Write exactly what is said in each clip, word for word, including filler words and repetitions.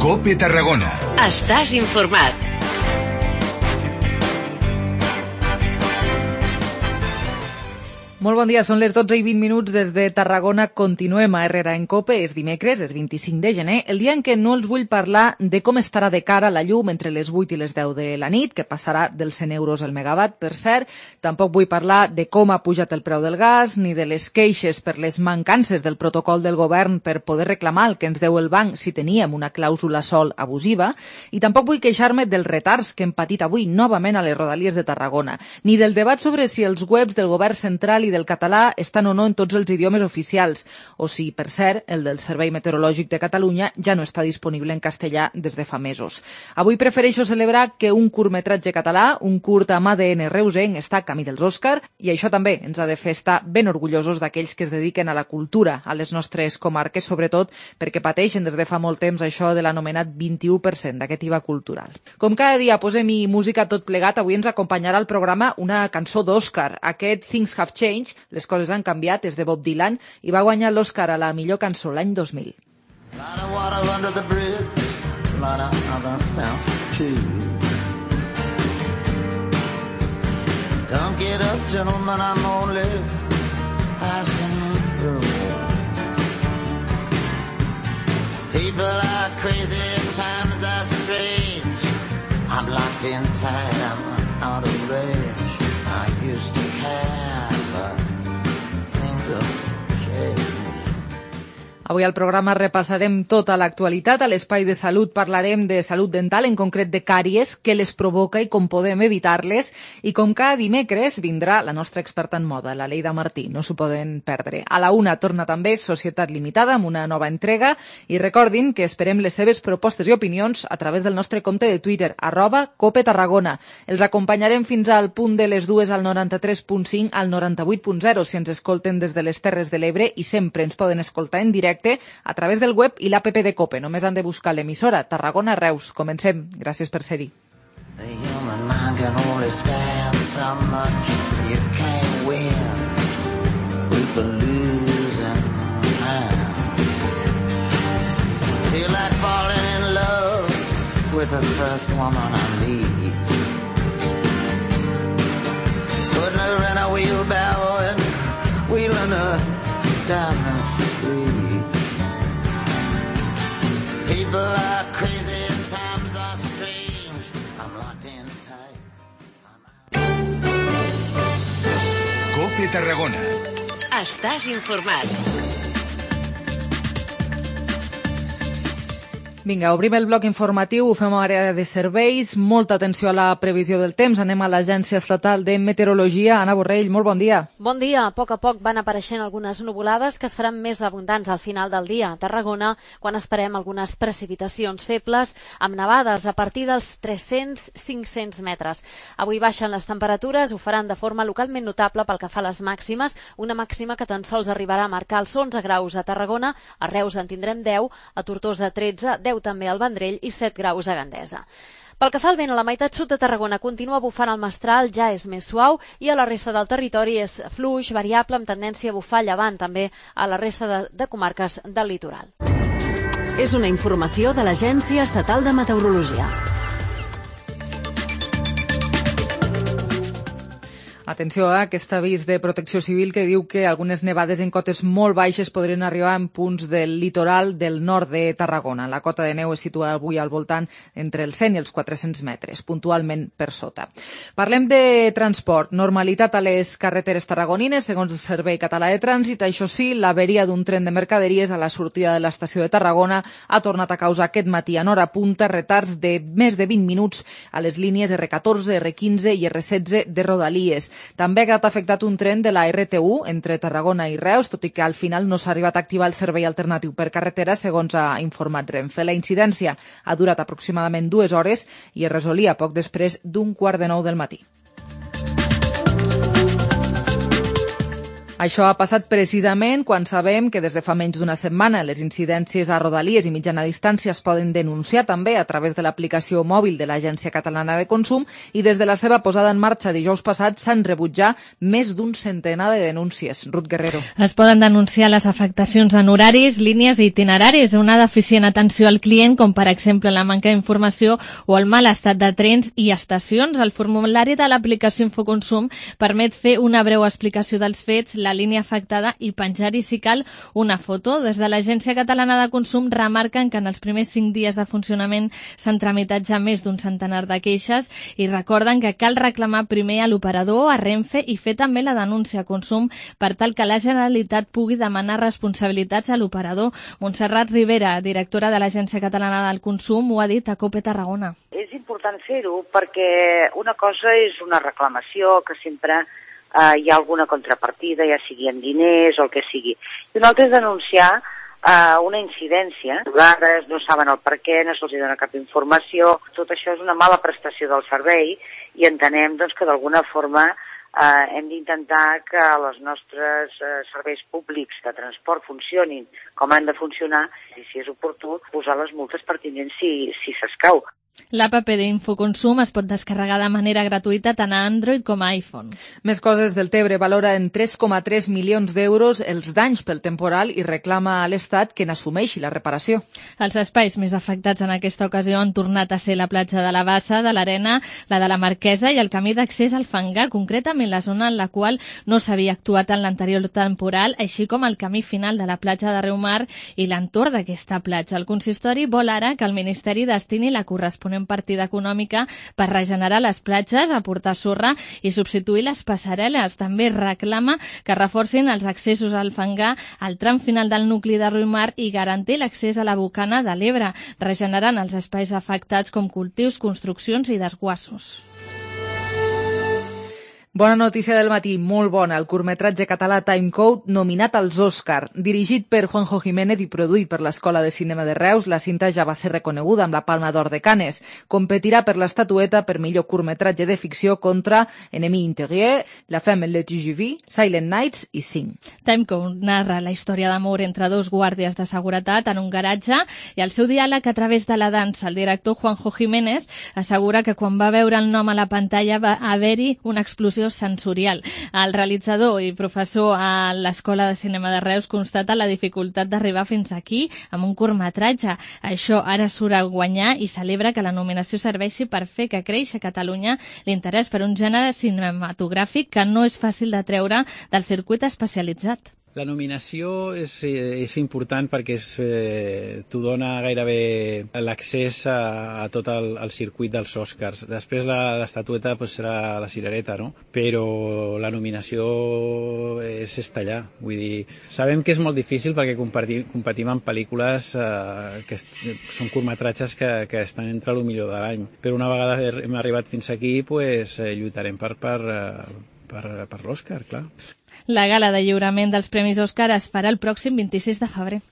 COPE Tarragona. Estàs informat. Molt bon dia, són les dotze i vint minuts des de Tarragona. Continuem a Herrera en COPE, és dimecres, és vint-i-cinc de gener, el dia en què no els vull parlar de com estarà de cara la llum entre les vuit i les deu de la nit, que passarà dels cent euros el megawatt, per cert. Tampoc vull parlar de com ha pujat el preu del gas, ni de les queixes per les mancances del protocol del govern per poder reclamar el que ens deu el banc si teníem una clàusula sol abusiva, i tampoc vull queixar-me dels retards que hem patit avui novament a les rodalies de Tarragona, ni del debat sobre si els webs del govern central i del català estan o no en tots els idiomes oficials, o si, per cert, el del Servei Meteorològic de Catalunya ja no està disponible en castellà des de fa mesos. Avui prefereixo celebrar que un curtmetratge català, un curt amb A D N reusenc, està camí dels Òscar, i això també ens ha de fer estar ben orgullosos d'aquells que es dediquen a la cultura a les nostres comarques, sobretot perquè pateixen des de fa molt temps això de l'anomenat vint-i-u per cent d'aquest I V A cultural. Com cada dia posem-hi música tot plegat, avui ens acompanyarà al programa una cançó d'Òscar. Aquest Things Have Changed, les coses han canviat, és de Bob Dylan i va guanyar l'Òscar a la millor cançó l'any dos mil. Don't get up, gentlemen, I'm only passing through. People are crazy, times are strange. I'm locked in tight, I'm out of range. I used to care, but things have changed. Avui al programa repassarem tota l'actualitat. A l'espai de salut parlarem de salut dental, en concret de càries, què les provoca i com podem evitar-les. I com cada dimecres vindrà la nostra experta en moda, la Leida Martí. No s'ho poden perdre. A la una torna també Societat Limitada amb una nova entrega. I recordin que esperem les seves propostes i opinions a través del nostre compte de Twitter, arroba Cope Tarragona. Els acompanyarem fins al punt de les dues al noranta-tres punt cinc al noranta-vuit punt zero si ens escolten des de les Terres de l'Ebre, i sempre ens poden escoltar en directe a través del web i l'app de COPE. Només han de buscar l'emissora Tarragona Reus. Comencem. Gràcies per ser-hi. The human mind can only stand so much. You can't win with the losing hand. Feel like falling in love with the first woman I meet. Putting her in a wheelbarrow and wheeling her down the street. People are crazy and times are strange. I'm locked in tight. COPE Tarragona. Estàs informat. Vinga, obrim el bloc informatiu, ho fem a l'àrea de serveis. Molta atenció a la previsió del temps. Anem a l'Agència Estatal de Meteorologia. Anna Borrell, molt bon dia. Bon dia. A poc a poc van apareixent algunes nuvolades que es faran més abundants al final del dia a Tarragona, quan esperem algunes precipitacions febles amb nevades a partir dels tres-cents a cinc-cents metres. Avui baixen les temperatures, ho faran de forma localment notable pel que fa a les màximes, una màxima que tan sols arribarà a marcar els onze graus a Tarragona, a Reus en tindrem deu, a Tortosa tretze, deu també al Vendrell i set graus a Gandesa. Pel que fa al vent, a la meitat sud de Tarragona continua bufant el mestral, ja és més suau, i a la resta del territori és fluix, variable, amb tendència a bufar llevant també a la resta de, de comarques del litoral. És una informació de l'Agència Estatal de Meteorologia. Atenció a aquest avís de Protecció Civil que diu que algunes nevades en cotes molt baixes podrien arribar en punts del litoral del nord de Tarragona. La cota de neu es situa avui al voltant entre els cent i els quatre-cents metres, puntualment per sota. Parlem de transport. Normalitat a les carreteres tarragonines, segons el Servei Català de Trànsit. Això sí, l'averia d'un tren de mercaderies a la sortida de l'estació de Tarragona ha tornat a causar aquest matí en hora punta retards de més de vint minuts a les línies erre catorze, erre quinze i erre setze de Rodalies. També ha quedat afectat un tren de la erre te u entre Tarragona i Reus, tot i que al final no s'ha arribat a activar el servei alternatiu per carretera, segons ha informat Renfe. La incidència ha durat aproximadament dues hores i es resolia poc després d'un quart de nou del matí. Això ha passat precisament quan sabem que des de fa menys d'una setmana les incidències a Rodalies i mitjana distància es poden denunciar també a través de l'aplicació mòbil de l'Agència Catalana de Consum i des de la seva posada en marxa dijous passat s'han rebut ja més d'un centenar de denúncies. Ruth Guerrero. Es poden denunciar les afectacions en horaris, línies i itineraris, una deficient atenció al client, com per exemple la manca d'informació o el mal estat de trens i estacions. El formulari de l'aplicació Infoconsum permet fer una breu explicació dels fets, la línia afectada i penjar-hi, si cal, una foto. Des de l'Agència Catalana de Consum remarquen que en els primers cinc dies de funcionament s'han tramitat ja més d'un centenar de queixes i recorden que cal reclamar primer a l'operador, a Renfe, i fer també la denúncia a Consum per tal que la Generalitat pugui demanar responsabilitats a l'operador. Montserrat Rivera, directora de l'Agència Catalana del Consum, ho ha dit a COPE Tarragona. És important fer-ho perquè una cosa és una reclamació que sempre Uh, hi ha alguna contrapartida, ja sigui en diners o el que sigui. I una altra és denunciar uh, una incidència. A vegades no saben el per què, no se'ls dona cap informació. Tot això és una mala prestació del servei i entenem doncs, que d'alguna forma uh, hem d'intentar que els nostres uh, serveis públics de transport funcionin com han de funcionar i, si és oportú, posar les multes pertinents si, si s'escau. L'app d'Infoconsum es pot descarregar de manera gratuïta tant a Android com a iPhone. Més coses del Tebre. Valora en tres coma tres milions d'euros els danys pel temporal i reclama a l'Estat que n'assumeixi la reparació. Els espais més afectats en aquesta ocasió han tornat a ser la platja de la Bassa, de l'Arena, la de la Marquesa i el camí d'accés al Fangar, concretament la zona en la qual no s'havia actuat en l'anterior temporal, així com el camí final de la platja de Riumar i l'entorn d'aquesta platja. El consistori vol ara que el Ministeri destini la corresponent partida econòmica per regenerar les platges, aportar sorra i substituir les passarel·les. També reclama que reforcin els accessos al Fangar al tram final del nucli de Riumar i garantir l'accés a la Bocana de l'Ebre, regenerant els espais afectats com cultius, construccions i desguassos. Bona notícia del matí, molt bona. El curtmetratge català Timecode, nominat als Òscar. Dirigit per Juanjo Jiménez i produït per l'Escola de Cinema de Reus, la cinta ja va ser reconeguda amb la Palma d'Or de Cannes. Competirà per l'estatueta per millor curtmetratge de ficció contra Ennemi Interieur, La Femme et le T G V, Silent Nights i Sing. Timecode narra la història d'amor entre dos guàrdies de seguretat en un garatge i el seu diàleg a través de la dansa. El director Juanjo Jiménez assegura que quan va veure el nom a la pantalla va haver-hi una explosió sensorial. El realitzador i professor a l'Escola de Cinema de Reus constata la dificultat d'arribar fins aquí amb un curtmetratge. Això ara surt a guanyar i celebra que la nominació serveixi per fer que creixi a Catalunya l'interès per un gènere cinematogràfic que no és fàcil de treure del circuit especialitzat. La nominació és, és important perquè és, eh, t'ho dona gairebé l'accés a, a tot el, el circuit dels Oscars. Després l'estatueta pues, serà la cirereta, no? Però la nominació és estar allà. Vull dir, sabem que és molt difícil perquè competim, competim en pel·lícules eh, que són curtmetratges que, que estan entre el millor de l'any. Però una vegada hem arribat fins aquí, pues, eh, lluitarem per, per, per, per l'Oscar, clar. La gala de lliurament dels Premis Òscar es farà el pròxim vint-i-sis de febrer.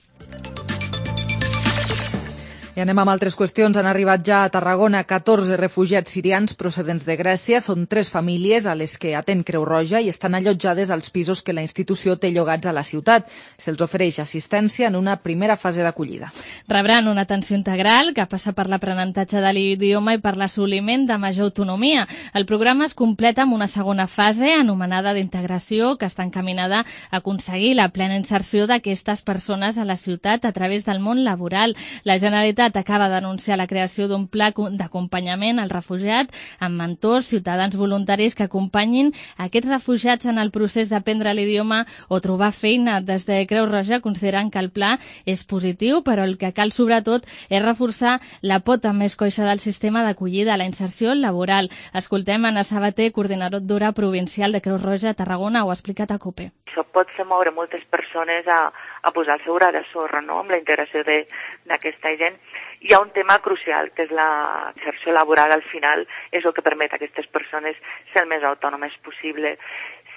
I anem amb altres qüestions. Han arribat ja a Tarragona catorze refugiats sirians procedents de Grècia. Són tres famílies a les que atén Creu Roja i estan allotjades als pisos que la institució té llogats a la ciutat. Se'ls ofereix assistència en una primera fase d'acollida. Rebran una atenció integral que passa per l'aprenentatge de l'idioma i per l'assoliment de major autonomia. El programa es completa amb una segona fase anomenada d'integració que està encaminada a aconseguir la plena inserció d'aquestes persones a la ciutat a través del món laboral. La Generalitat acaba d'anunciar la creació d'un pla d'acompanyament al refugiat amb mentors, ciutadans voluntaris que acompanyin aquests refugiats en el procés d'aprendre l'idioma o trobar feina. Des de Creu Roja consideren que el pla és positiu, però el que cal sobretot és reforçar la pota més coixa del sistema d'acollida, la inserció laboral. Escoltem Anna Sabater, coordinadora provincial de Creu Roja a Tarragona, ho ha explicat a COPE. Això pot fer moure moltes persones a, a posar el seu gra de sorra, no?, amb la integració d'aquesta gent. Hi ha un tema crucial, que és la inserció laboral. Al final és el que permet a aquestes persones ser el més autònomes possible.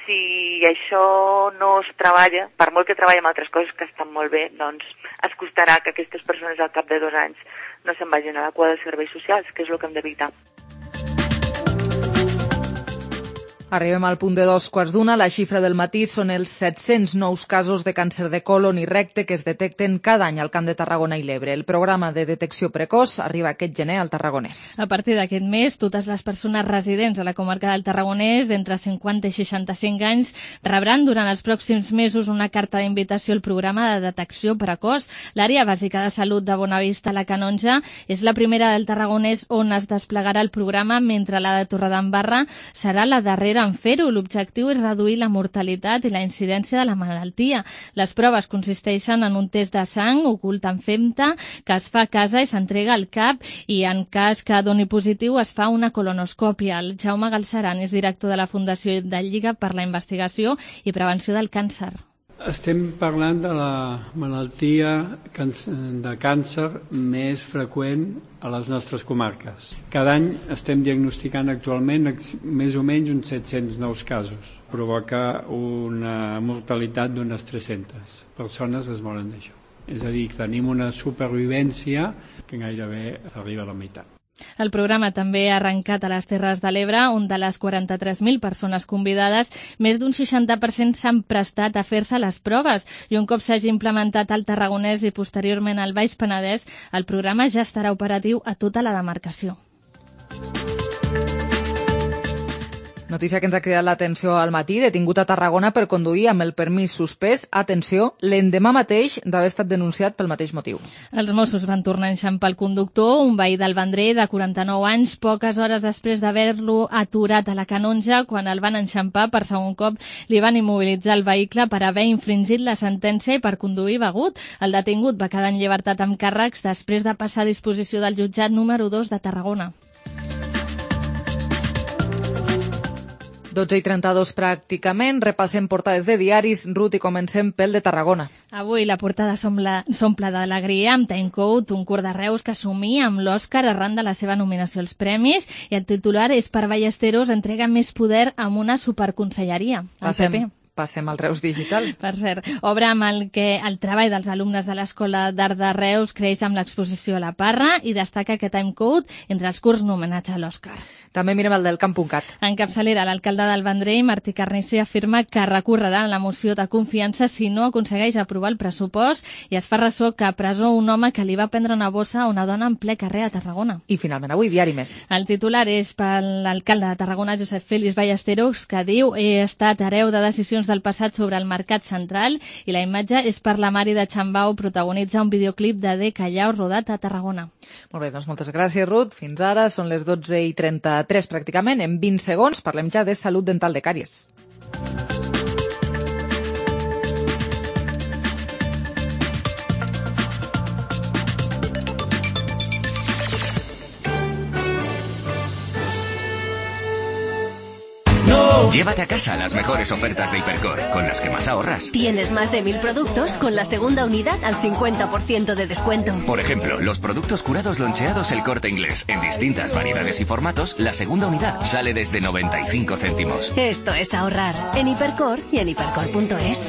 Si això no es treballa, per molt que treballem altres coses que estan molt bé, doncs es costarà que aquestes persones al cap de dos anys no se'n vagin a la cua dels serveis socials, que és el que hem d'evitar. Arribem al punt de dos quarts d'una. La xifra del matí són els set-cents nous casos de càncer de colon i recte que es detecten cada any al Camp de Tarragona i l'Ebre. El programa de detecció precoç arriba aquest gener al Tarragonès. A partir d'aquest mes, totes les persones residents a la comarca del Tarragonès d'entre cinquanta i seixanta-cinc anys rebran durant els pròxims mesos una carta d'invitació al programa de detecció precoç. L'àrea bàsica de salut de Bonavista, la Canonja, és la primera del Tarragonès on es desplegarà el programa, mentre la de Torredembarra serà la darrera en fer-ho. L'objectiu és reduir la mortalitat i la incidència de la malaltia. Les proves consisteixen en un test de sang ocult en femta que es fa a casa i s'entrega al cap, i en cas que doni positiu es fa una colonoscòpia. El Jaume Galceran és director de la Fundació de Lliga per la Investigació i Prevenció del Càncer. Estem parlant de la malaltia de càncer més freqüent a les nostres comarques. Cada any estem diagnosticant actualment més o menys uns set-cents nous casos. Provoca una mortalitat d'unes tres-centes persones es moren d'això. És a dir, que tenim una supervivència que gairebé arriba a la meitat. El programa també ha arrencat a les Terres de l'Ebre, on de les quaranta-tres mil persones convidades, més d'un seixanta per cent s'han prestat a fer-se les proves, i un cop s'hagi implementat al Tarragonès i posteriorment al Baix Penedès, el programa ja estarà operatiu a tota la demarcació. Notícia que ens ha cridat l'atenció al matí: detingut a Tarragona per conduir amb el permís suspès, atenció, l'endemà mateix d'haver estat denunciat pel mateix motiu. Els Mossos van tornar a enxampar el conductor, un veí del Vendrell de quaranta-nou anys, poques hores després d'haver-lo aturat a la Canonja. Quan el van enxampar per segon cop, li van immobilitzar el vehicle per haver infringit la sentència i per conduir begut. El detingut va quedar en llibertat amb càrrecs després de passar a disposició del jutjat número dos de Tarragona. dotze i trenta-dos pràcticament. Repassem portades de diaris. Ruth, i comencem pel de Tarragona. Avui la portada s'omple d'alegria amb Timecode, un curt de Reus que somia amb l'Òscar arran de la seva nominació als premis, i el titular és: per Ballesteros entrega més poder amb una superconselleria. Passem. Passem al Reus Digital. Per cert, obra amb el que el treball dels alumnes de l'Escola d'Art de Reus creix amb l'exposició a la Parra, i destaca que Timecode entre els curts nomenats a l'Òscar. També mirem el del camp.cat. En capçalera, l'alcalde del Vendrell, Martí Carnicer, afirma que recorrerà la moció de confiança si no aconsegueix aprovar el pressupost, i es fa ressò que a presó un home que li va prendre una bossa a una dona en ple carrer a Tarragona. I finalment avui, diari Més. El titular és per l'alcalde de Tarragona, Josep Félix Ballesteros, que diu: he estat hereu de decisions del passat sobre el mercat central, i la imatge és per la Mari de Xambau, protagonitza un videoclip de De Callao rodat a Tarragona. Molt bé, doncs moltes gràcies, Ruth. Fins ara són les dotze i trenta-tres pràcticament. En vint segons parlem ja de salut dental de càries. Llévate a casa las mejores ofertas de Hipercor, con las que más ahorras. Tienes más de mil productos con la segunda unidad al cincuenta por ciento de descuento. Por ejemplo, los productos curados loncheados El Corte Inglés, en distintas variedades y formatos, la segunda unidad sale desde noventa y cinco céntimos. Esto es ahorrar en Hipercor y en hipercor punto es.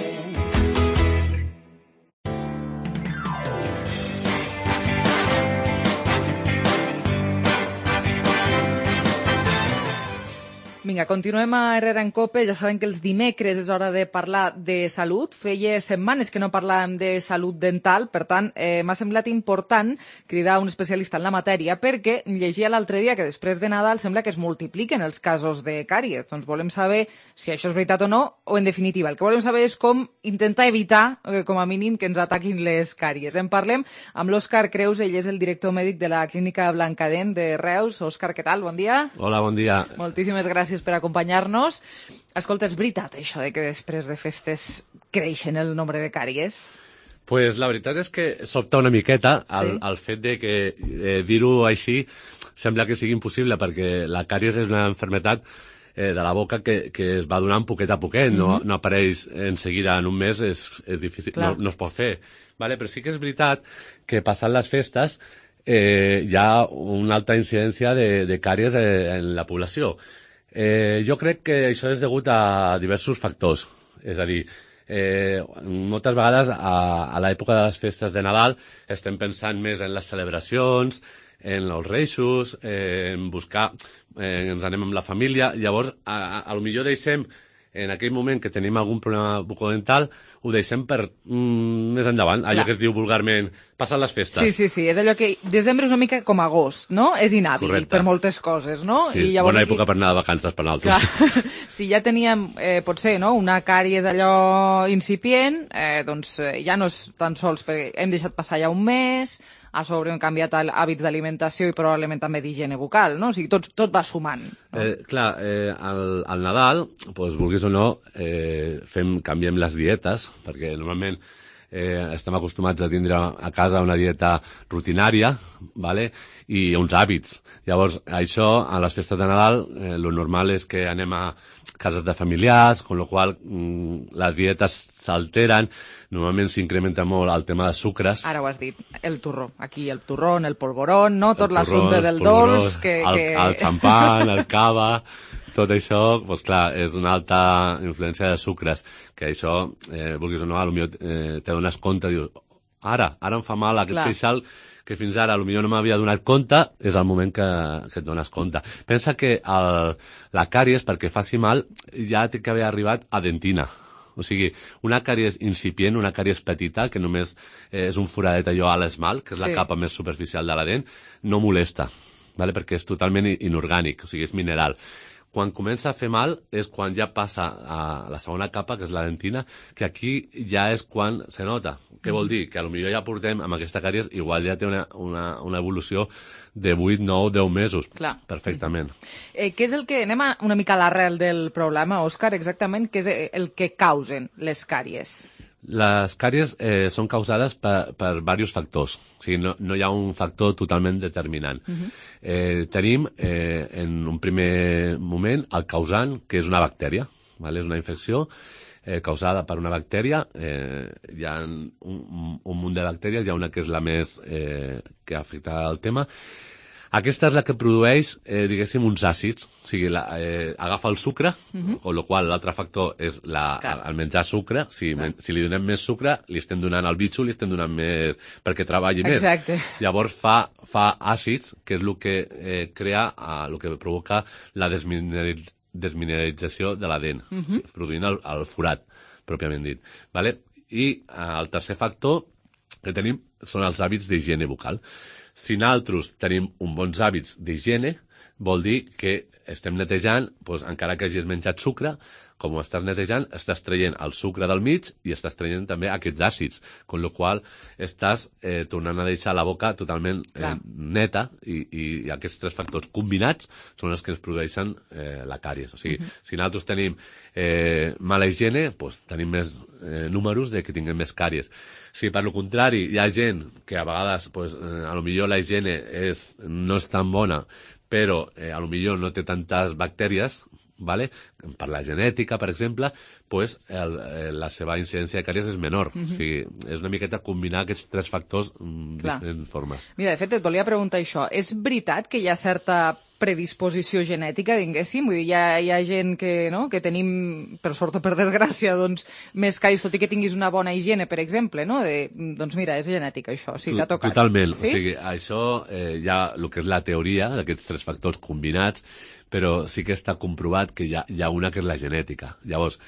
Vinga, continuem a Herrera en Cope. Ja saben que els dimecres és hora de parlar de salut. Feia setmanes que no parlàvem de salut dental, per tant, eh, m'ha semblat important cridar un especialista en la matèria, perquè llegia l'altre dia que després de Nadal sembla que es multipliquen els casos de càries. Doncs volem saber si això és veritat o no, o en definitiva, el que volem saber és com intentar evitar, eh, com a mínim, que ens ataquin les càries. En parlem amb l'Òscar Creus, ell és el director mèdic de la Clínica Blancadent de Reus. Òscar, què tal? Bon dia. Hola, bon dia. Moltíssimes gràcies per acompanyar-nos. Escolta, és veritat això de que després de festes creixen el nombre de càries? Pues la veritat és que sobta una miqueta el, sí. el fet de que eh, dir-ho així sembla que sigui impossible, perquè la càries és una malaltia eh, de la boca que, que es va donant poquet a poquet, mm-hmm. no, no apareix en seguida en un mes, és, és difícil, no, no es pot fer. Vale? Però sí que és veritat que passant les festes eh, hi ha una alta incidència de, de càries eh, en la població. Eh, jo crec que això és degut a diversos factors. És a dir, eh, moltes vegades a, a l'època de les festes de Nadal estem pensant més en les celebracions, en els reixos, eh, en buscar, eh, ens anem amb la família, llavors a, a, a lo millor deixem en aquell moment que tenim algun problema bucodental, ho deixem per mm, més endavant, allò Clar. que es diu vulgarment passar les festes. Sí, sí, sí, és allò que desembre és una mica com agost, no? És inhàbil Correcte. per moltes coses, no? Sí, I llavors bona època aquí... per anar de vacances per nosaltres. Clar. Si ja teníem, eh, potser, no? una càries allò incipient, eh, doncs eh, ja no és tan sols perquè hem deixat passar ja un mes, a sobre hem canviat hàbits d'alimentació i probablement també d'higiene bucal, no? O sigui, tot, tot va sumant. No? Eh, clar, eh, al, al Nadal, doncs, vulguis o no, eh, fem, canviem les dietes, perquè normalment eh, estem acostumats a tindre a casa una dieta rutinària, vale? I uns hàbits. Llavors, això, a les festes de Nadal, eh, lo normal és que anem a cases de familiars, con lo qual mm, les dietes s'alteren, normalment s'incrementa molt el tema de sucres. Ara ho has dit, el turró. Aquí el turrón, el polvorón, no? Tot l'assumpte del dolç. Que, el, que... el xampan, el cava, tot això, doncs clar, és una alta influència de sucres, que això, eh, vulguis o no, potser eh, te dones compte, dius, ara, ara em fa mal aquest queixal, que fins ara potser no m'havia donat compte, és el moment que, que et dones compte. Pensa que el, la càries, perquè faci mal, ja té que haver arribat a dentina. O sigui, una càries incipient, una càries petita, que només eh, és un foradet allò a l'esmalt, que és sí. la capa més superficial de la dent, no molesta, vale? Perquè és totalment inorgànic, o sigui, és mineral. Quan comença a fer mal és quan ja passa a la segona capa, que és la dentina, que aquí ja és quan se nota. Què vol dir? Que potser ja portem amb aquesta càries, igual ja té una, una, una evolució de vuit, nou, deu mesos. Clar. Perfectament. Eh, què és el que... Anem a una mica a l'arrel del problema, Òscar, exactament, què és el que causen les càries? Les càries eh, són causades per, per diversos factors. O sigui, no, no hi ha un factor totalment determinant. Uh-huh. eh, tenim, eh, en un primer moment, el causant, que és una bactèria. Vale? És una infecció eh, causada per una bactèria. Eh, hi ha un, un munt de bactèries, hi ha una que és la més eh, que afecta el tema. Aquesta és la que produeix, eh, diguéssim, uns àcids. O sigui, la, eh, agafa el sucre, uh-huh. amb la qual l'altre factor és la, el menjar sucre. Si, men, si li donem més sucre, li estem donant al bitxo, li estem donant més perquè treballi més. Exacte. Llavors fa, fa àcids, que és el que eh, crea, eh, el que provoca la desmineralització desmineralització de la dent, uh-huh. sí, produint el, el forat, pròpiament dit. Vale? I eh, el tercer factor que tenim són els hàbits d'higiene bucal. Si nosaltres tenim uns bons hàbits d'higiene, vol dir que estem netejant, doncs, encara que hagis menjat sucre, com ho estàs netejant, estàs traient el sucre del mig i estàs traient també aquests àcids, amb la qual estàs eh, tornant a deixar la boca totalment eh, neta i, i, i aquests tres factors combinats són els que ens produeixen eh, la càries. O sigui, uh-huh. si nosaltres tenim eh, mala higiene, doncs, tenim més eh, números de que tinguem més càries. Si per lo contrari hi ha gent que a vegades pues, eh, a lo millor la higiene és, no és tan bona, però eh, a lo millor no té tantes bactèries, vale? Per la genètica, per exemple, pues, el, el, la seva incidència de càries és menor. Uh-huh. O sigui, és una miqueta combinar aquests tres factors en diferents formes. Mira, de fet, et volia preguntar això. És veritat que hi ha certa predisposició genètica, diguéssim? Vull dir, hi ha, hi ha gent que, no? que tenim, per sort o per desgràcia, doncs, més càries, tot i que tinguis una bona higiene, per exemple, no? De, doncs mira, és genètica, això, sí, t'ha tocat. Totalment. Sí? O sigui, això eh, hi ha el que és la teoria d'aquests tres factors combinats, però sí que està comprovat que hi ha, hi ha una que és la genètica. Llavors,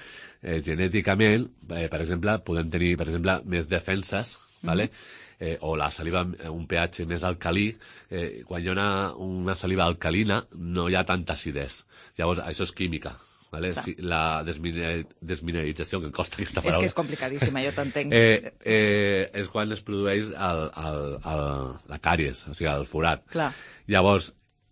eh, genèticament, eh, per exemple, podem tenir, per exemple, més defenses, mm-hmm. vale? eh, o la saliva un pH més alcalí, eh, quan hi ha una, una saliva alcalina no hi ha tanta acidesa. Llavors, això és química. Vale? Sí, la desminer, desmineralització, que em costa aquesta paraula. És que és complicadíssima, jo t'entenc. Eh, eh, és quan es produeix el, el, el, la càries, o sigui, el forat. Clar. Llavors,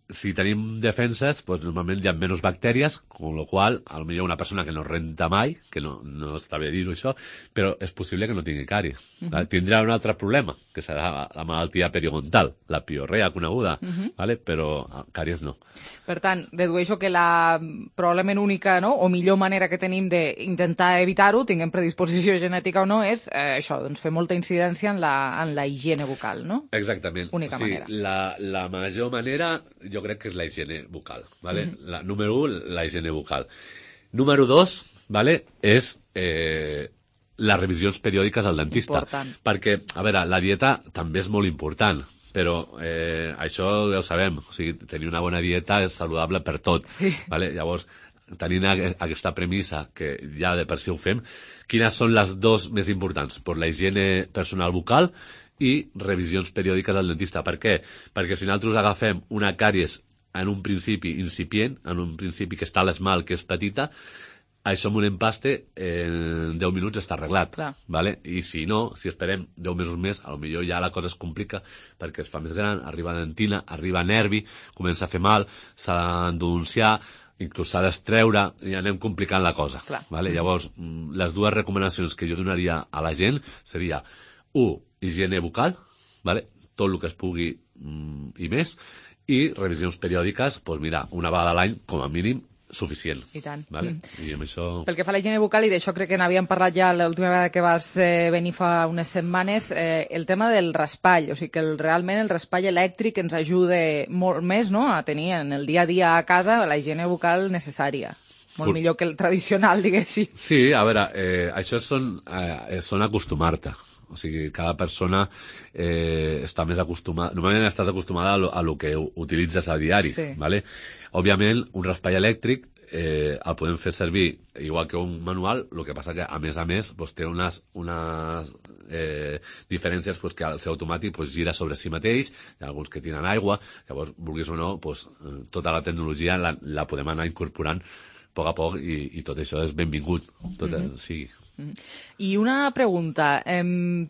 si tenim defenses, doncs normalment hi ha menys bactèries, amb la qual cosa, potser una persona que no renta mai, que no, no està bé dir-ho això, però és possible que no tingui càries. Uh-huh. Tindrà un altre problema, que serà la malaltia periodontal, la piorrea coneguda, uh-huh. vale? Però càries no. Per tant, dedueixo que la probablement única, no?, o millor manera que tenim d'intentar evitar-ho, tinguem predisposició genètica o no, és eh, això, doncs fer molta incidència en la, en la higiene bucal, no? Exactament. Única sí, manera. La, la major manera, jo crec que és la higiene bucal, ¿vale? Mm-hmm. La, número u, la higiene bucal. Número dos, ¿vale?, és eh, les revisions periòdiques al dentista. Important. Perquè, a veure, la dieta també és molt important, però eh, això ja ho sabem, o sigui, tenir una bona dieta és saludable per tot. Sí. Vale? Llavors, tenint aquesta premissa, que ja de per si ho fem, quines són les dues més importants? Pues la higiene personal bucal i revisions periòdiques al dentista. Per què? Perquè si nosaltres agafem una càries en un principi incipient, en un principi que està a l'esmal, que és petita, això amb un empaste en deu minuts està arreglat. Vale? I si no, si esperem deu mesos més, a lo millor ja la cosa es complica perquè es fa més gran, arriba dentina, arriba nervi, comença a fer mal, s'ha d'endonciar, inclús s'ha d'estreure i anem complicant la cosa. Vale? Llavors, les dues recomanacions que jo donaria a la gent seria u, higiene bucal, vale? Tot el que es pugui mm, i més, i revisions periòdiques, doncs mira, una vegada a l'any, com a mínim, suficient. I tant. Vale? I amb això... Pel que fa a la higiene bucal, i d'això crec que n'havíem parlat ja l'última vegada que vas eh, venir fa unes setmanes, eh, el tema del raspall, o sigui que el, realment el raspall elèctric ens ajuda molt més, no?, a tenir en el dia a dia a casa la higiene bucal necessària. Molt Fur... millor que el tradicional, diguéssim. Sí, a veure, eh, això són, eh, són acostumar-te. O sigui, cada persona eh, està més acostumada... Normalment estàs acostumada a lo, a lo que utilitzes a diari, sí. Vale? Òbviament, un raspall elèctric eh, el podem fer servir igual que un manual, el que passa que, a més a més, pues, té unes, unes eh, diferències pues, que al ser automàtic pues, gira sobre si mateix, hi ha alguns que tiren aigua, llavors, vulguis o no, pues, tota la tecnologia la, la podem anar incorporant a poc a poc i, i tot això és benvingut, tot mm-hmm. sí. I una pregunta, eh,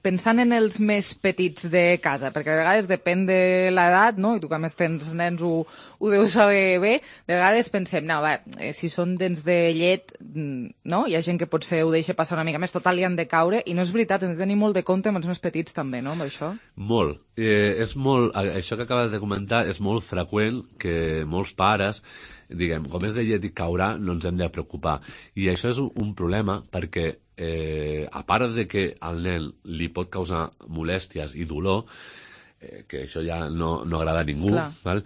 pensant en els més petits de casa, perquè de vegades depèn de l'edat, no? I tu que a més tens nens ho, ho deus saber bé, de vegades pensem, no, va, eh, si són dents de llet, no? Hi ha gent que potser ho deixa passar una mica més, total li han de caure, i no és veritat, hem de tenir molt de compte amb els més petits també, no?, amb això. Molt. Eh, és molt, això que acabes de comentar és molt freqüent que molts pares diguem, com és de llet i caurà, no ens hem de preocupar. I això és un, un problema perquè, eh, a part de que al nen li pot causar molèsties i dolor, eh, que això ja no, no agrada a ningú, val?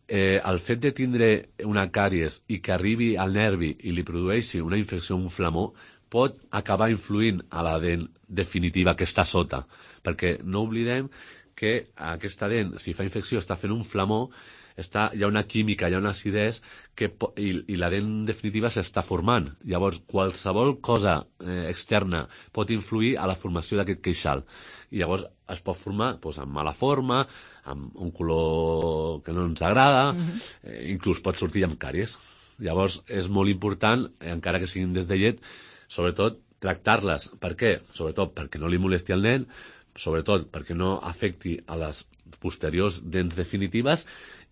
Eh, el fet de tindre una càries i que arribi al nervi i li produeixi una infecció, un flamó, pot acabar influint a la dent definitiva que està sota. Perquè no oblidem que aquesta dent, si fa infecció, està fent un flamó, està, hi ha una química, hi ha una acidesa que, i, i la dent definitiva s'està formant. Llavors, qualsevol cosa eh, externa pot influir a la formació d'aquest queixal. I llavors es pot formar doncs, amb mala forma, amb un color que no ens agrada, mm-hmm. eh, inclús pot sortir amb càries. Llavors, és molt important, eh, encara que siguin des de llet, sobretot tractar-les. Per què? Sobretot perquè no li molesti al nen, sobretot perquè no afecti a les posteriors dents definitives,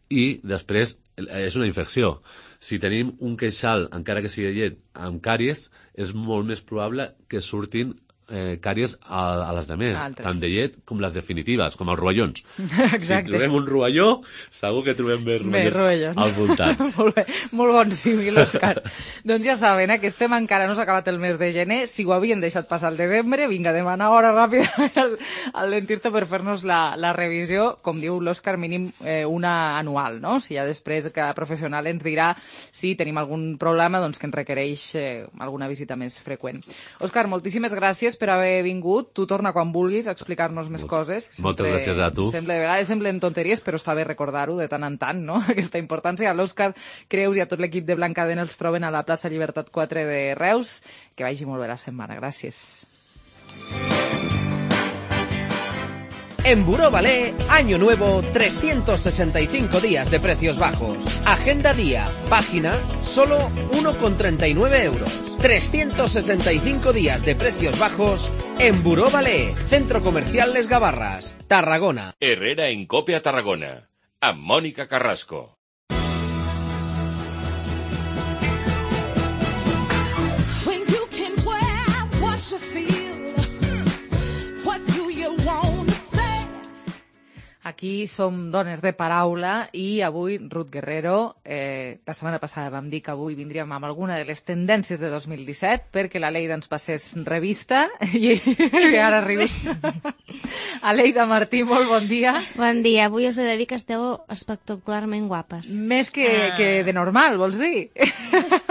i després és una infecció. Si tenim un queixal, encara que sigui de llet, amb càries, és molt més probable que surtin eh, càries a, a les demés, tant de llet com les definitives, com els rovellons. Exacte. Si trobem un rovelló, segur que trobem més rovellons, rovellons. al voltant. Molt bé, molt bon símil, Òscar. Doncs ja saben, eh, que estem encara no s'ha acabat el mes de gener, si ho havien deixat passar al desembre, vinga, demanar hora ràpida al, al dentista per fer-nos la, la revisió, com diu l'Òscar, mínim eh, una anual, no? Si ja després cada professional ens dirà si tenim algun problema doncs, que ens requereix eh, alguna visita més freqüent. Òscar, moltíssimes gràcies per haver vingut. Tu torna quan vulguis a explicar-nos més coses. Sempre, Moltes gràcies a tu. Sempre, de vegades semblen tonteries, però està bé recordar-ho de tant en tant, no? Aquesta importància. A l'Òscar Creus i a tot l'equip de Blancadent els troben a la plaça Llibertat quatre de Reus. Que vagi molt bé la setmana. Gràcies. En Buró Balé, año nuevo, trescientos sesenta y cinco días de precios bajos. Agenda día, página, solo uno con treinta y nueve euros. trescientos sesenta y cinco días de precios bajos en Buró Balé, Centro Comercial Les Gavarras, Tarragona. Herrera en Cope a Tarragona, amb Mònica Carrasco. Aquí som dones de paraula i avui Ruth Guerrero, eh, la setmana passada vam dir que avui vindríem amb alguna de les tendències de dos mil disset perquè la Leida ens passés revista i, i ara rius. Aleida Martí, molt bon dia. Bon dia, avui us he de dir que esteu espectacularment guapes. Més que, ah. que de normal, vols dir?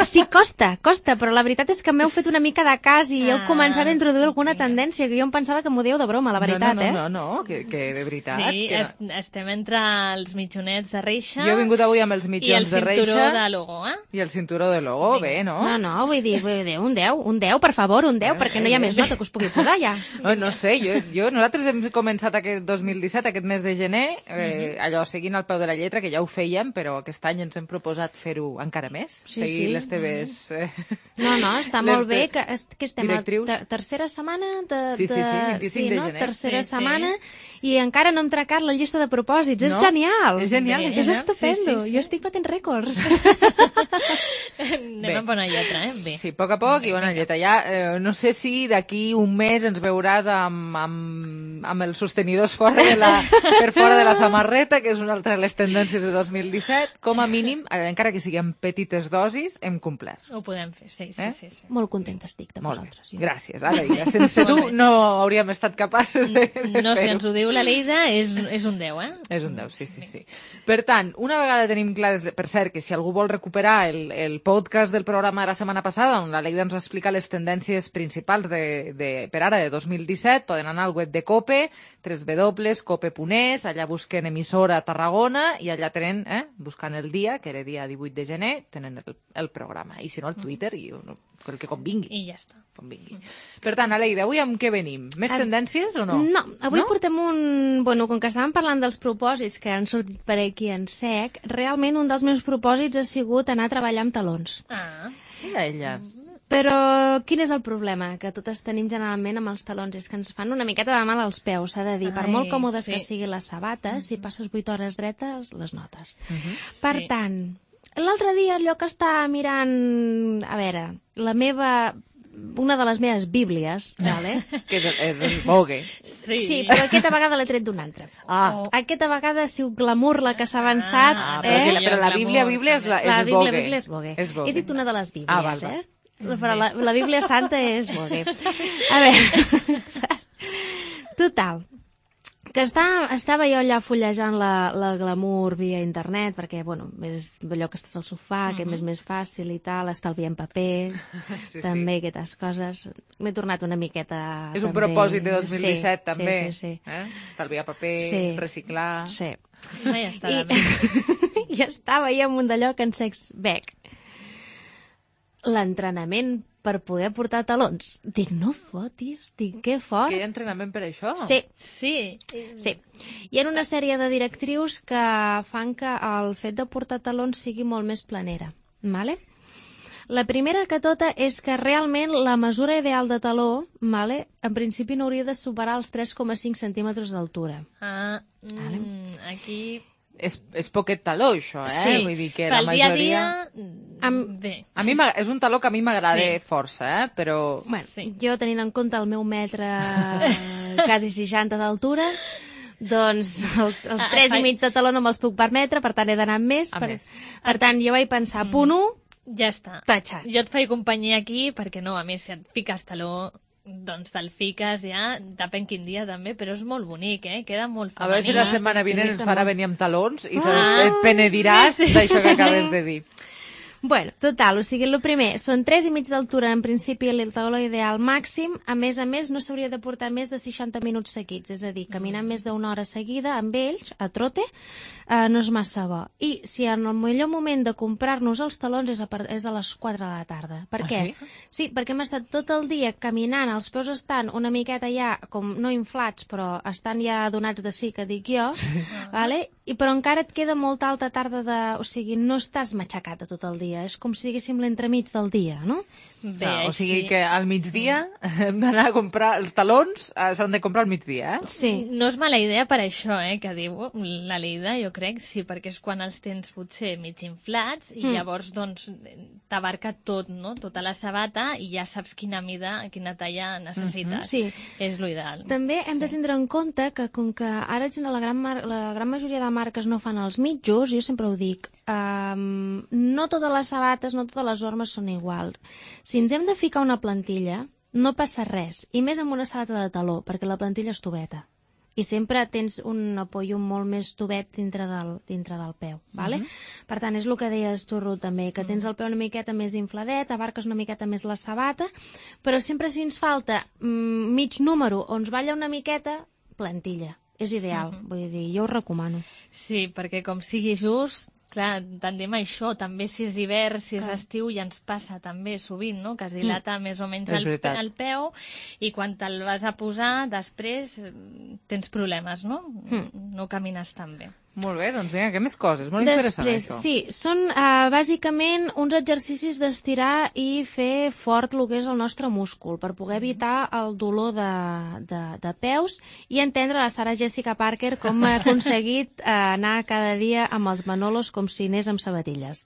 Sí, costa, costa, però la veritat és que m'heu fet una mica de cas i heu ah. començat a introduir alguna tendència que jo em pensava que m'ho dieu de broma, la veritat, no, no, no, eh? No, no, no, que, que de veritat. Sí, que est estem entre els mitjonets de reixa... Jo he vingut avui amb els mitjons de reixa... I el cinturó de logo, eh? I el cinturó de logo, bé, no? No, no, vull dir, vull dir, un deu, un deu, per favor, un deu, perquè no hi ha més nota que us pugui posar, ja. No, no sé, jo, jo, nosaltres hem començat aquest dos mil disset, aquest mes de gener, eh, allò, seguint al peu de la lletra, que ja ho fèiem, però aquest any ens hem proposat fer-ho encara més, Sí, seguir sí. les teves... Eh, No, no, està les molt bé, te- que, est- que estem a directrius. ter tercera setmana de... Sí, sí, sí, de- vint-i-cinc de no? gener. Tercera Sí, sí. setmana, i encara no hem trencat la llista de propòsits. És No? genial! És genial, és És genial. estupendo. Sí, sí, sí. Jo estic batent rècords. Anem amb bona lletra, eh? Bé. Sí, a poc a poc i bona lletra. Ja, eh, no sé si d'aquí un mes ens veuràs amb, amb, amb els sostenidors fora de la, per fora de la samarreta, que és una altra de les tendències de dos mil disset. Com a mínim, eh, encara que sigui en petites dosis, hem complert. Ho podem fer, sí, sí, Eh? sí. sí. Molt contenta estic de Molt bé. vosaltres. jo. Gràcies, Aleida. Sense tu no hauríem estat capaces de, de No, si fer-ho. ens ho diu la Leida, és, és un deu, eh? És un deu, sí, sí, sí. Per tant, una vegada tenim clar, per cert, que si algú vol recuperar el, el podcast del programa de la setmana passada, on la Leida ens explica les tendències principals de, de, per ara de dos mil disset, poden anar al web de COPE, w w w punt cope punt es, allà busquen emissora Tarragona i allà tenen, eh, buscant el dia, que era dia divuit de gener, tenen el, el programa. I si no, al Twitter, i no, el que convingui. I ja està. Convingui. Per tant, Aleida, avui amb què venim? Més Ah, tendències o no? No, avui no? portem un... Bueno, com que estàvem parlant dels propòsits que han sortit per aquí en sec, realment un dels meus propòsits ha sigut anar a treballar amb talons. Ah. Mira ella. Però quin és el problema que totes tenim generalment amb els talons? És que ens fan una miqueta de mal als peus, s'ha de dir. Per Ai, molt còmodes sí. que siguin les sabates, si passes vuit hores dretes, les notes. Per Sí. tant, l'altre dia allò que estava mirant... A veure, la meva... Una de les meves bíblies, vale? Que és, és el Vogue. Sí. Sí, però aquesta vegada l'he tret d'una altra. Ah. Aquesta vegada ha sigut glamour la que s'ha avançat. Ah, eh? però, que la, però la Bíblia, Bíblia és, la, és La el Bíblia, Vogue. Bíblia és Vogue. És Vogue. He dit una de les Bíblies, Ah, val, val. eh? Però la, la Bíblia Santa és Vogue. A veure, saps? Total, que està, estava jo allà fullejant la, la glamour via internet, perquè, bueno, és allò que estàs al sofà, que és més fàcil i tal, estalviant paper, Sí, sí. també aquestes coses. M'he tornat una miqueta... És un també. propòsit de dos mil disset, Sí, també. Sí, sí, sí. Eh? Estalviar paper, Sí. reciclar... Sí. No hi està I, de més. I estava jo amb un d'allò que en sex bec. L'entrenament per poder portar talons. Dic, no fotis, dic, que fort. Que hi ha entrenament per això? Sí, Sí. sí. Hi ha una sèrie de directrius que fan que el fet de portar talons sigui molt més planera. Vale? La primera que tota és que realment la mesura ideal de taló, vale, en principi no hauria de superar els tres coma cinc centímetres d'altura. Ah, mm, aquí... És, és poquet taló, això, eh? Sí. Vull dir que la Pel dia a majoria... dia... Amb- Bé. A mi m'agrada- és un taló que a mi m'agrada Sí. força, eh? Però... Bueno, Sí. jo tenint en compte el meu metre quasi seixanta d'altura, doncs el, els Ah, tres fa- i mig de taló no me'ls puc permetre, per tant he d'anar amb més. A Per, més. per tant, jo vaig pensar, punt u, Ja està. tatxat. Jo et faig companyia aquí, perquè no, a més, si et piques taló, doncs te'l fiques ja, depèn quin dia també, però és molt bonic, eh? Queda molt A veure si la femení. setmana vinent ens estilitza farà molt. venir amb talons i Ah, et penediràs d'això que acabes de dir. Bueno, total, o sigui, el primer, són tres i mig d'altura, en principi, el taló ideal màxim. A més a més, no s'hauria de portar més de seixanta minuts seguits, és a dir, caminar Mm. més d'una hora seguida amb ells, a trote, eh, no és massa bo. I si en el millor moment de comprar-nos els talons és a, par- és a les quatre de la tarda. Per Ah, què? sí? Sí, perquè hem estat tot el dia caminant, els peus estan una miqueta ja, com no inflats, però estan ja donats de sí, que dic jo, vale? I però encara et queda molta alta tarda de... O sigui, no estàs matxacat tot el dia, és com si diguéssim l'entremig del dia, no? Bé, No, o sigui així- que al migdia hem d'anar a comprar els talons, eh, s'han de comprar al migdia, eh? Sí. No és mala idea per això, eh, que diu la Leida, jo crec, sí, perquè és quan els tens potser mig inflats i Mm. llavors, doncs, t'abarca tot, no?, tota la sabata i ja saps quina mida, quina talla necessites. Sí. És l'ideal. També hem de tindre en compte que com que ara la gran, mar la gran majoria de marques no fan els mitjos, jo sempre ho dic, um, no totes les sabates, no totes les normes són iguals. Si ens hem de ficar una plantilla, no passa res, i més amb una sabata de taló, perquè la plantilla és tubeta. I sempre tens un apoyo molt més tubet dintre del, dintre del peu, vale? Per tant, és el que deies tu, Ruth, també, que tens el peu una miqueta més infladet, abarques una miqueta més la sabata, però sempre si ens falta mm, mig número o ens balla una miqueta, plantilla. és ideal. Mhm. Vull dir, jo ho recomano. Sí, perquè com sigui just, clar, tendim a això, també si és hivern, si és Clar. estiu, ja ens passa també sovint, no?, que es dilata més o menys És el, veritat. el peu i quan te'l vas a posar, després eh, tens problemes, no? Mm. No camines tan bé. Molt bé, doncs vinga, què més coses? Molt interessant, Després, això. sí, són uh, bàsicament uns exercicis d'estirar i fer fort el que és el nostre múscul per poder evitar el dolor de, de, de peus i entendre la Sarah Jessica Parker com ha aconseguit uh, anar cada dia amb els manolos com si anés amb sabatilles,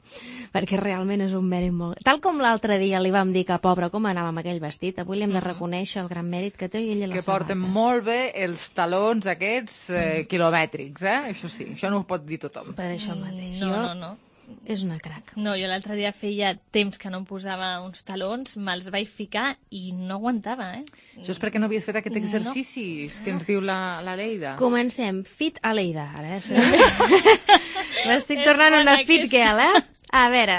perquè realment és un mèrit molt... Tal com l'altre dia li vam dir que, pobra, com anava amb aquell vestit, avui li hem de reconèixer el gran mèrit que té ella i les Que porten sabates. molt bé els talons aquests eh, quilomètrics, eh? Això sí, això no ho pot dir tothom. Per això mateix. No, Jo- no, no. És una crac. No, jo l'altre dia feia temps que no em posava uns talons, me'ls vaig ficar i no aguantava, eh? Això és perquè no havies fet aquest No. exercici que ens diu la, la Leida. Comencem. Fit a Leida, ara. Eh? M'estic tornant És una bona fit aquesta. girl, eh? A veure.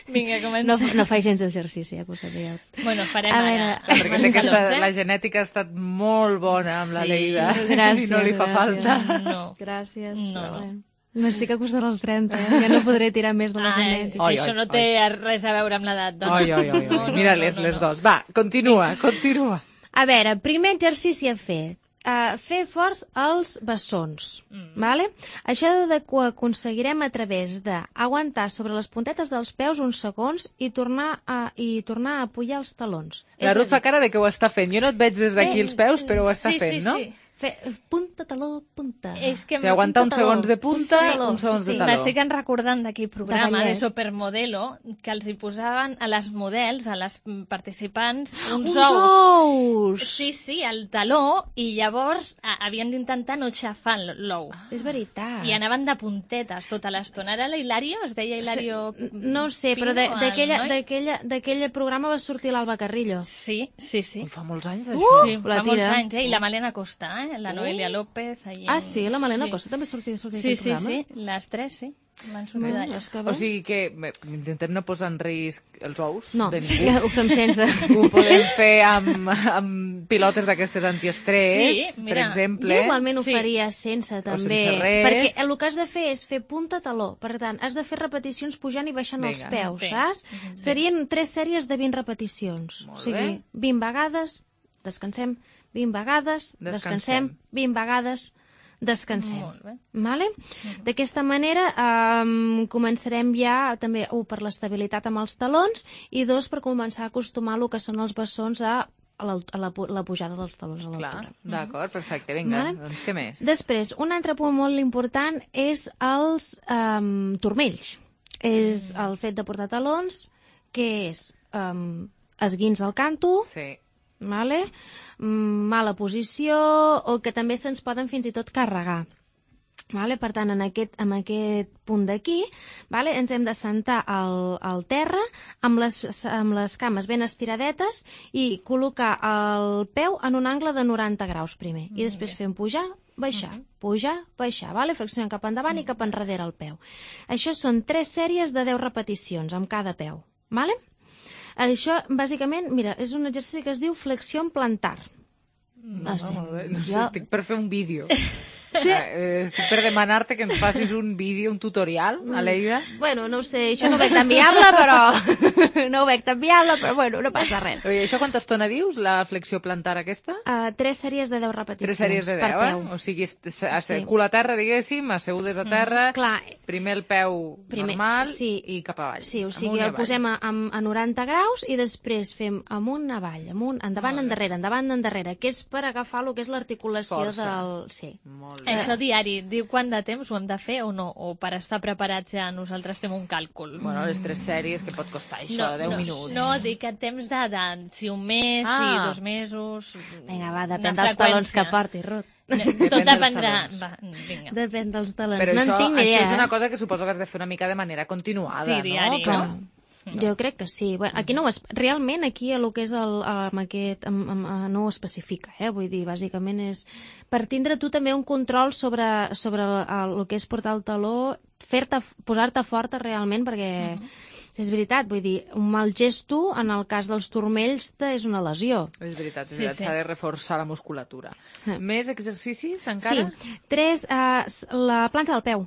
Vinga, comencem. No, no faig gens d'exercici, ja que ho sabíeu. Bueno, farem A ara. veure. Clar, perquè sé que Talons, esta, eh? la genètica ha estat molt bona amb la Sí. Leida Gràcies, i no li fa gràcies. falta. No. Gràcies. No, però no. bé. M'estic acostant als trenta, eh? Ja no podré tirar més de la Ah, genètica. Oi, això oi, no té res a veure amb l'edat, dona. Oi, oi, oi, No, oi. no, Mira-les, no, no, les no. dos. Va, continua, continua. A veure, primer exercici a fer. Uh, fer forts els bessons. Mm. Vale? Això de que ho aconseguirem a través d'aguantar sobre les puntetes dels peus uns segons i tornar a, i tornar a apujar els talons. La És Ruth a fa dir, cara de que ho està fent. Jo no et veig des d'aquí Eh, els peus, però ho està sí, fent, sí, no? sí. Fer, punta, taló, punta. És que O sigui, aguantar uns Punta, taló. segons de punta, Punta, taló. uns segons de Sí. taló. M'estic en recordant d'aquell programa ballet. de Supermodelo que els hi posaven a les models, a les participants, uns, Uns ous. ous! Sí, sí, al taló, i llavors a, havien d'intentar no xafar l'ou. És veritat. I anaven de puntetes tota l'estona. Era l'Hilario? Es deia Hilario? No ho sé, però de- Pingo, d'aquella- el noi? d'aquella- d'aquell programa va sortir l'Alba Carrillo. Sí, sí, sí. Ui, fa molts anys Uh, d'això. Sí, la fa molts tira. anys, eh? I la Malena Costa, eh? La Noelia López. Allí... Ah, sí? La Malena sí. Costa també sortia, sortia Sí, d'aquell sí, programa? sí. Les tres, sí. Van sortir Bueno, d'allà. és que O bé. sigui que bé, intentem no posar en risc els ous No, de sí, ningú. ho fem sense. Ho podem fer amb, amb pilotes d'aquestes antiestrès, Sí, per mira, exemple. Jo igualment ho Sí. faria sense, també. sense res. Perquè el que has de fer és fer punta-taló. Per tant, has de fer repeticions pujant i baixant Vinga. els peus, Bé. saps? Mhm. Serien tres sèries de vint repeticions. Molt o sigui, bé. vint vegades, descansem, vint vegades, Descansem. descansem, vint vegades, descansem. Molt bé. Vale? D'aquesta manera um, començarem ja també, un, per l'estabilitat amb els talons i dos, per començar a acostumar el que són els bessons a, a, la, a la, pu- la pujada dels talons a Clar, l'altura. d'acord, perfecte. Vinga, Vale. doncs què més? Després, un altre punt molt important és els um, turmells. És el fet de portar talons, que és um, esguins al canto, Sí. vale? Mm, mala posició, o que també se'ns poden fins i tot carregar. Vale? Per tant, en aquest, en aquest punt d'aquí, vale? Ens hem de sentar al, al terra amb les, amb les cames ben estiradetes i col·locar el peu en un angle de noranta graus primer. I després fem pujar, baixar, pujar, baixar. Vale? Flexionem cap endavant i cap enrere el peu. Això són tres sèries de deu repeticions amb cada peu. Vale? Això, bàsicament, mira, és un exercici que es diu flexió plantar. No, sé. Molt bé. No sé, Jo- estic per fer un vídeo. Sí. Eh, estic per demanar-te que ens facis un vídeo, un tutorial, Aleida. Bueno, no ho sé, això no ho veig tan viable, però... no ho veig tan viable, però bueno, no passa res. Oye, això quanta estona dius, la flexió plantar aquesta? Uh, tres sèries de deu repeticions Tres sèries de per deu, peu. eh? O sigui, est- s- a- Sí. cul a terra, diguéssim, assegudes a terra, Clar, primer el peu Primer, normal sí. i cap avall. sí, o Amunt sigui, i el avall. posem a, a, a noranta graus i després fem amunt, avall, amunt, endavant, endarrere, endavant, endarrere, que és per agafar el que és l'articulació Força. del... Sí. Molt bé. Això diari, diu quant de temps ho hem de fer o no? O per estar preparats ja nosaltres fem un càlcul? Bueno, les tres sèries, que pot costar això? no, deu no, minuts. No, dic que temps de, de si un mes, Ah. si dos mesos... Vinga, va, una depèn dels talons que freqüència. porti, Ruth. Depèn Tot dels dependrà... talons. Va, vinga. Depèn dels talons. Però no això, en tinc ni això idea, és una eh? cosa que suposo que has de fer una mica de manera continuada, Sí, diari, no? Clar. Com- Jo crec que sí. Bueno, aquí no ho es... Realment, aquí el que és el, amb aquest, amb, amb, amb, no ho especifica, eh? Vull dir, bàsicament és per tindre tu també un control sobre, sobre el, el, el que és portar el taló, fer-te, posar-te forta realment, perquè És veritat, vull dir, un mal gesto, en el cas dels turmells, és una lesió. És veritat, és Sí, veritat, sí. s'ha de reforçar la musculatura. Eh. Més exercicis, encara? Sí, tres, eh, la planta del peu.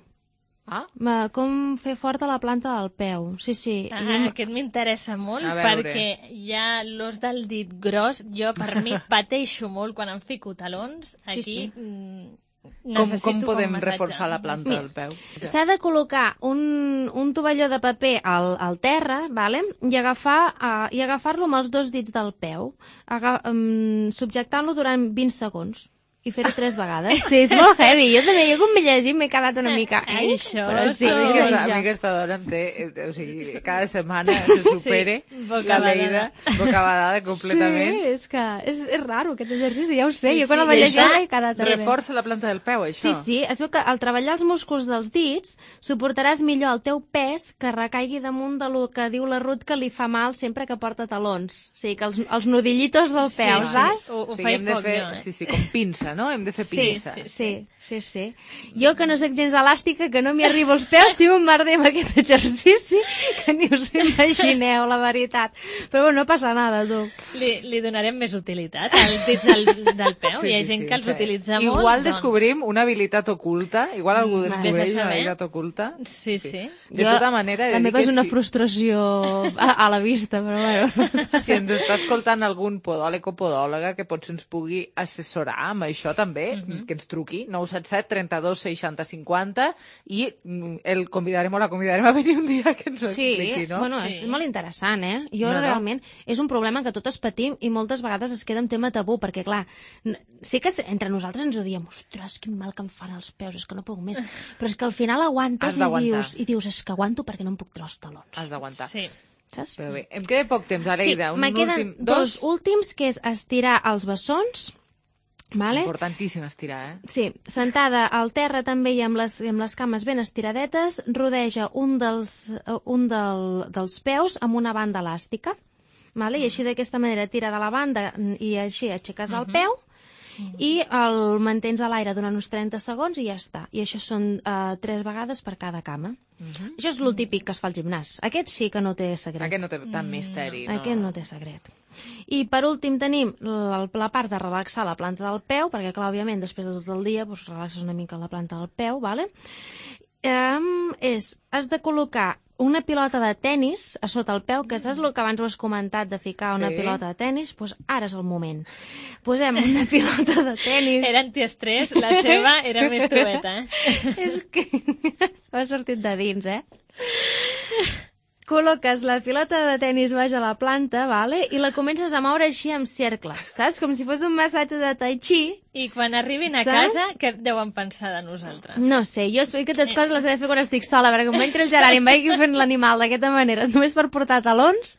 Ah? Ma, com fer forta la planta del peu. Sí, sí. Ah, Jo- aquest m'interessa molt A veure. perquè ja l'os del dit gros, jo per mi pateixo molt quan em fico talons. Sí, Aquí sí. mm, Com, necessito com podem massatge. reforçar la planta Mira, del peu? S'ha de col·locar un, un tovalló de paper al, al terra, vale? I agafar uh, i agafar-lo amb els dos dits del peu, aga, um, subjectant-lo durant vint segons. I fer-ho tres vegades. Sí, és molt heavy. Jo també, jo com m'he llegit m'he quedat una mica... Ai, això, Però sí, a mi, és aquesta, a això. mi aquesta dona em té, eh, o sigui, cada setmana se supere Sí, la bocabadada. Leida, bocabadada completament. Sí, és que és, és raro aquest exercici, ja ho sé. Sí, jo quan sí, el vaig i llegir això m'he quedat... també. reforça la planta del peu, això. Sí, sí, es veu que al treballar els músculs dels dits suportaràs millor el teu pes que recaigui damunt de lo que diu la Ruth que li fa mal sempre que porta talons. O sigui, que els, els nudillitos del Sí, peu, sí. saps? Ho, ho O sigui, faig hem de poc, fer, jo, eh? sí, sí, com pinça, no? Hem de fer Sí, pinça. sí, sí, sí, sí. Jo, que no sóc gens elàstica, que no m'hi arribo als peus, tinc un merder amb aquest exercici que ni us imagineu, la veritat. Però bueno, no passa nada, tu. Li, li donarem més utilitat als dits del, del peu. Sí, Hi ha sí, gent sí, que els sí. utilitza molt. Igual doncs... descobrim una habilitat oculta, igual algú Mm, descobreix vés a una saber. habilitat oculta. Sí, sí. De Jo- tota manera, he de La dir meva que és una si- frustració a, a la vista, però bueno. Si ens està escoltant algun podòleg o podòloga que potser ens pugui assessorar amb això també, Mhm. que ens truqui, nou set set trenta-dos seixanta cinquanta, i mm, el convidarem o la convidarem a venir un dia que ens ho Sí, expliqui, no? bueno, és molt interessant, eh? Jo No, no. realment és un problema que totes patim i moltes vegades es queda en tema tabú, perquè clar, n- sí que entre nosaltres ens ho diem, ostres, quin mal que em fan els peus, és que no puc més, però és que al final Has aguantes i d'aguantar. dius, i dius, és que aguanto perquè no em puc treure els talons. Has d'aguantar. Sí. Saps? Però bé, em queda poc temps, Aleida. Sí, un me queden últim... dos últims, que és estirar els bessons, vale? Importantíssim estirar, eh? Sí, sentada al terra també i amb les, amb les cames ben estiradetes, rodeja un dels, eh, un del, dels peus amb una banda elàstica, vale? I així d'aquesta manera tira de la banda i així aixeques el peu i el mantens a l'aire durant uns trenta segons i ja està. I això són uh, tres vegades per cada cama. Mhm. Això és lo típic que es fa al gimnàs. Aquest sí que no té secret. Aquest no té tant misteri. No. Aquest no té secret. I per últim tenim la, la part de relaxar la planta del peu, perquè clar, òbviament, després de tot el dia doncs, relaxes una mica la planta del peu, vale? Um, és, has de col·locar una pilota de tennis a sota el peu, que saps el que abans ho has comentat de ficar una Sí. pilota de tennis? Doncs ara és el moment. Posem una pilota de tennis. Era antiestrès, la seva era més tubeta. Eh? És que m'ha sortit de dins, eh? Col·loques la pilota de tennis baix a la planta, vale? I la comences a moure així en cercles, saps? Com si fos un massatge de tai chi. I quan arribin a Saps? casa, què deuen pensar de nosaltres? No sé, jo que aquestes coses les he de fer quan estic sola, perquè quan entri el Gerard i em vagi fent l'animal d'aquesta manera, només per portar talons,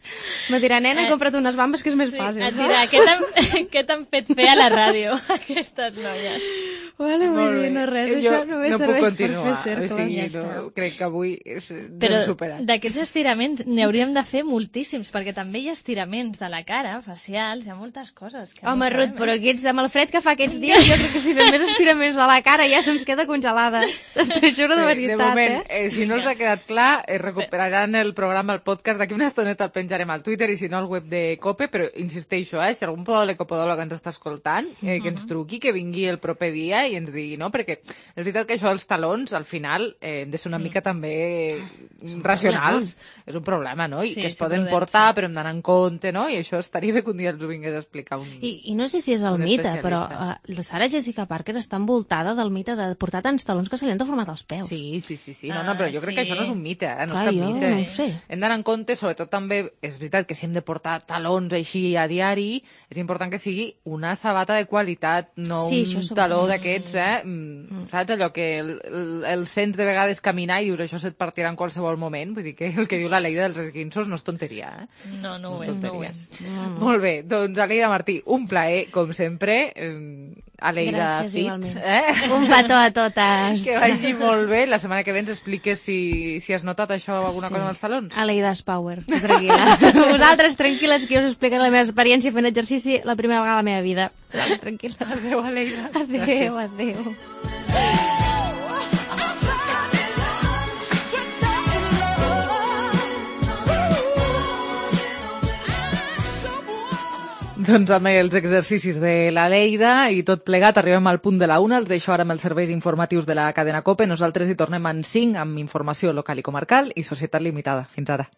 me dirà, nena, Eh, compra't unes bambes que és més Sí, fàcil. et dirà, què t'han- què t'han fet fer a la ràdio, aquestes noies? Vale, vull Molt dir, bé. no res, Jo això només no puc serveix continuar. per fer O cercles. sigui, Ja no, està. crec que avui és Però ben superat. d'aquests estiraments n'hi hauríem de fer moltíssims, perquè també hi ha estiraments de la cara, facials, hi ha moltes coses. Que Home, no Ruth, sabem, però eh? aquests, amb el fred que fa aquests dies, jo crec que si fem més estiraments de la cara ja se'ns queda congelada. T'ho juro de Bé, veritat, de moment, eh? eh, si no us ha quedat clar, eh, recuperaran el programa, el podcast, d'aquí una estoneta el penjarem al Twitter i si no al web de COPE, però insisteixo, eh, si algun podòleg o podòloga ens està escoltant, eh, que ens truqui, que vingui el proper dia i ens digui, no? Perquè és veritat que això dels talons, al final, eh, hem de ser una mica també racionals. És un problema, no? I Sí, que es sí, poden prudents, portar, però hem d'anar en compte, no? I això estaria bé que un dia ens ho vingués a explicar un... I, I no sé si és el Un mite, però especialista. uh, la Sarah Jessica Parker està envoltada del mite de portar tants talons que se li han deformat els peus. Sí, sí, sí, sí. No, no, però jo crec que sí. això no és un mite, eh? No Clar, és cap jo mite. no ho sé. Hem d'anar en compte, sobretot també, és veritat que si hem de portar talons així a diari, és important que sigui una sabata de qualitat, no Sí, un això som- taló d'aquests, eh? Mm. Saps allò que el, el, el sents de vegades caminar i dius això se't partirà en qualsevol moment? Vull dir que el que diu la Leida dels esquinços no és tonteria, eh? No, no ho és és, no ho tonteria. és. Molt bé, doncs Aleida Martí, un plaer, com sempre. Eh, Aleida Gràcies, Fit, igualment. eh? Un petó a totes. Que vagi molt bé. La setmana que ve ens expliques si, si has notat això alguna Sí. cosa amb els talons. Aleida's Power, tu tranquil·la. Vosaltres tranquil·les, que jo us explicaré la meva experiència fent exercici la primera vegada a la meva vida. Vosaltres tranquil·les. Adéu, Aleida. Adéu, adéu. Just Doncs amb els exercicis de la Lleida i tot plegat arribem al punt de la una. Els deixo ara amb els serveis informatius de la cadena COPE. Nosaltres hi tornem en cinc amb informació local i comarcal i Societat Limitada. Fins ara.